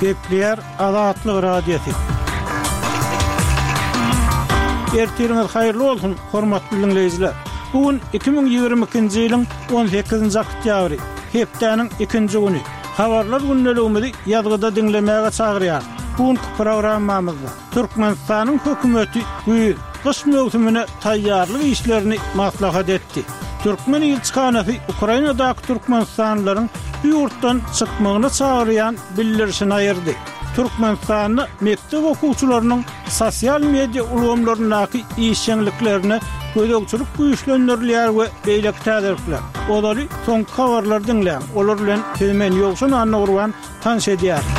Gepleýär Azatlyk Radiosy. Ertiriňiz haýyrly bolsun, hormatly diňleýjiler! Bu gün 2022-nji ýylyň 18-nji oktýabry, hepdäniň ikinji güni. Habarlar gündeligimizi ýazgyda diňlemäge çagyrýarys. Bu günki programmamyzda Türkmenistanyň hökümeti güýz, gyş möwsümine taýýarlyk işlerini maslahat etdi. Türkmen ilçihanasy Ukrainadaky türkmenistanlylaryň bu ýurtdan çykmagyna çagyrýan bildirişini aýyrdy. Türkmenistanda mekdep okuwçylarynyň sosial media ulgamlaryndaky işjeňliklerine gözegçilik güýçlendirilýär we beýleki täzelikler. Ozaly soňky habarlary diňläň, olar bilen sizi men Ýowşan Annagurban tanyş edýärin.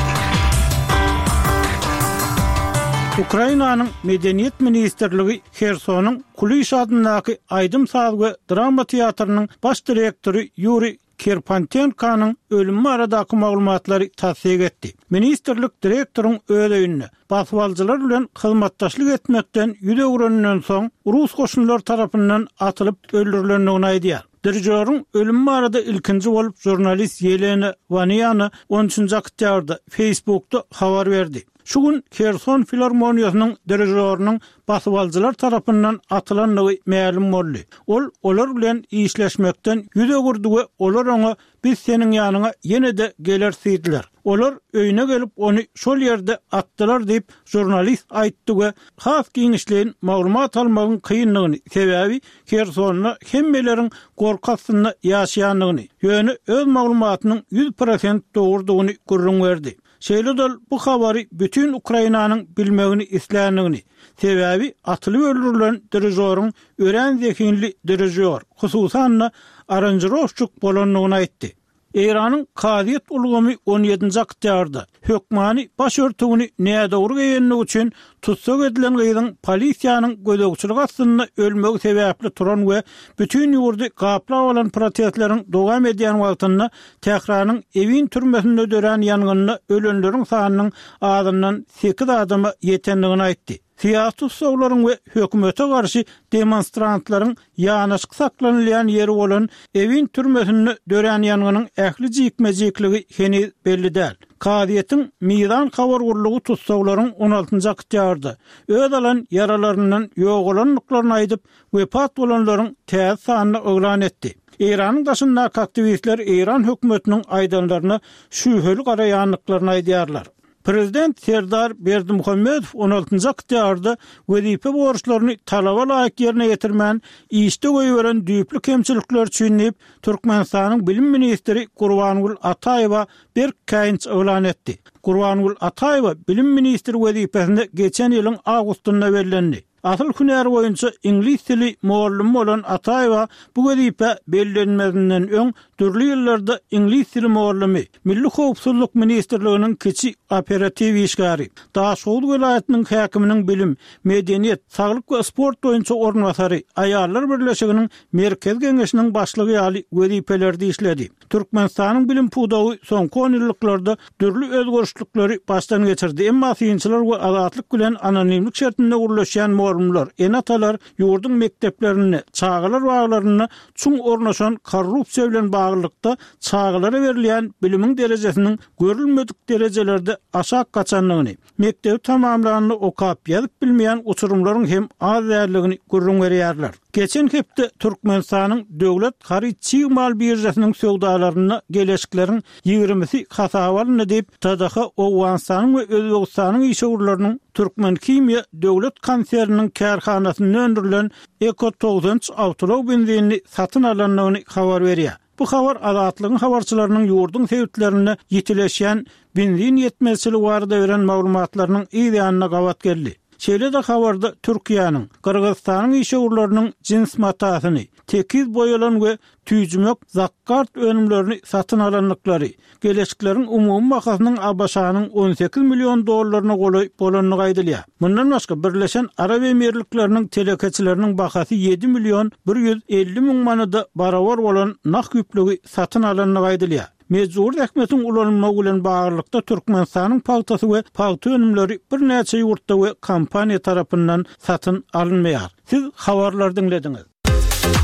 Ukrainanyň Medeniýet ministrligi Hersonyň Kuliş adyndaky aýdym-saz we drama teatrynyň baş direktory Ýuriý Kirpantenkonyň ölümi baradaky maglumatlary tassyk etdi. Ministrlik direktoryň öz öýünde, basybalyjylar bilen hyzmatdaşlyk etmekden ýüz öwreninden soň, rus goşunlary tarapyndan atylyp öldürilendigini aýdýar. Dirižýoryň ölümi barada ilkinji bolup žurnalist Ýelena Waniana on üçünji oktýabrda Facebookda habar berdi. Şu gün Herson filarmoniýasynyň dirižýorynyň basybalyjylar tarapyndan atylandygy mälim boldy. Ol olar bilen işleşmekden ýüz öwürdi we olar oňa Biz seniň ýanyňa ýene-de geleris diýdiler. Olar öýüne gelip, ony şol ýerde atdylar diýip, žurnalist aýtdy we has giňişleýin maglumat almagyň kyndygyny, sebäbi Hersonda hemmeleriň gorky astynda ýaşaýandygyny, ýöne öz maglumatynyň 100% dogrudygyny gürrüň berdi. Şeýle-de ol bu habary bütin Ukrainanyň bilmegini isländigini, sebäbi atylyp öldürilen dirižoryň örän zehinli dirižýor, hususan-da, aranžirowşçik bolandygyny aýtdy. Eýranyň kazyýet ulgamy on ýedinji oktýabrda, hökmany baş örtügini nädogry geýendigi üçin tussag edilen gyzyň polisiýanyň gözegçiligi astynda ölmegi sebäpli turan we bütin ýurdy gaplap alan protestleriň dowam edýän wagtynda Tähranyň Ewin türmesinde dörän ýangynda ölenleriň sanynyň azyndan sekiz adama ýetendigini aýtdy. Syýasy tussaglaryň we hökümete garşy demonstrantlaryň ýanaşyk saklanylýan ýeri bolan Ewin türmesinde dörän ýangynyň ähli jikme-jikligi heniz belli däl. Kazyýetiň Mizan habar gullugy tussaglaryň on altynjy oktýabrda öz alan ýaralaryndan ýogalandyklaryny aýdyp, wepat bolanlaryň täze sanyny yglan etdi. Eýranyň daşyndaky aktiwistler eýran hökümetiniň aýdanlaryna şübheli garaýandyklaryny aýdýarlar. Prezident Serdar Berdimuhamedow on altynjy oktýabrda wezipe borçlaryny talaba laýyk ýerine ýetirmän, işde goýberen düýpli kemçilikleri üçin diýip, Türkmenistanyň bilim ministri Gurbangül Ataýewa berk käýinç yglan etdi. Gurbangül Ataýewa bilim ministri wezipesine geçen ýylyň awgustynda bellendi. Asyl hünäri boýunça iňlis dili mugallymy bolan Ataýewa bu wezipä bellenmezinden öň dürli ýyllarda iňlis dili mugallymy, Milli howpsuzlyk ministrliginiň kiçi operatiw işgäri, Daşhowuz welaýatynyň häkiminiň bilim, medeniýet, saglyk we sport boýunça orunbasary, Aýallar birleşiginiň Merkezi geňeşiniň başlygy ýaly wezipelerde işledi. Türkmenistanyň bilim pudagy soňky onýyllyklarda dürli özgerişlikleri başdan geçirdi, emma synçylar we Azatlyk bilen anonimlik şertinde gürleşýän mugallymlar, ene-atalar ýurduň mekdeplerinde, çagalar baglarynda çuň ornaşan korrupsiýa bilen baglylykda çagalara berilýän bilimiň derejesiniň görülmedik derejelerde aşak gaçandygyny, Mekdebi tamamlanda okap, ýazyp bilmeýän uçurymlaryň hem az däldigini gürrüň berýärler. Geçen hepde Türkmenistanyň Döwlet haryt çig mal biržasynyň söwdalarynda geleşikleriň ýigrimisi hasaba alyndy diýip, TDH Owganystanyň we Özbegistanyň işewürleriniň Türkmenhimiýa döwlet konserniniň kärhanasynda öndürilen Eko 93 awtoulag benzinini satyn alandygyny habar berýär. Bu habar Azatlygyň habarçylarynyň ýurduň sebitlerinde ýitileşýän benzin ýetmezçiligi barada beren maglumatlarynyň yz ýanyna gabat geldi. Şeýle-de habarda Türkiýäniň, Gyrgyzystanyň işewürleriniň jins matasyny, tekiz boýalan we tüýjümek zakkart önümlerini satyn alandyklary, Geleşikleriň umumy bahasynyň ABŞ-nyň 18 million dollaryna golaý bolandygy aýdylýar. Mundan başga, Birleşen Arap Emirlikleriniň telekeçileriniň bahasy ýedi million 150 müň manada barabar bolan nah ýüplügi satyn alandygy aýdylýar. Mejbury zähmetiň ulanylmagy bilen baglylykda Türkmenistanyň pagtasy we pagta önümleri birnäçe ýurtda we kompaniýa tarapyndan satyn alynmaýar. Siz habarlary diňlediňiz.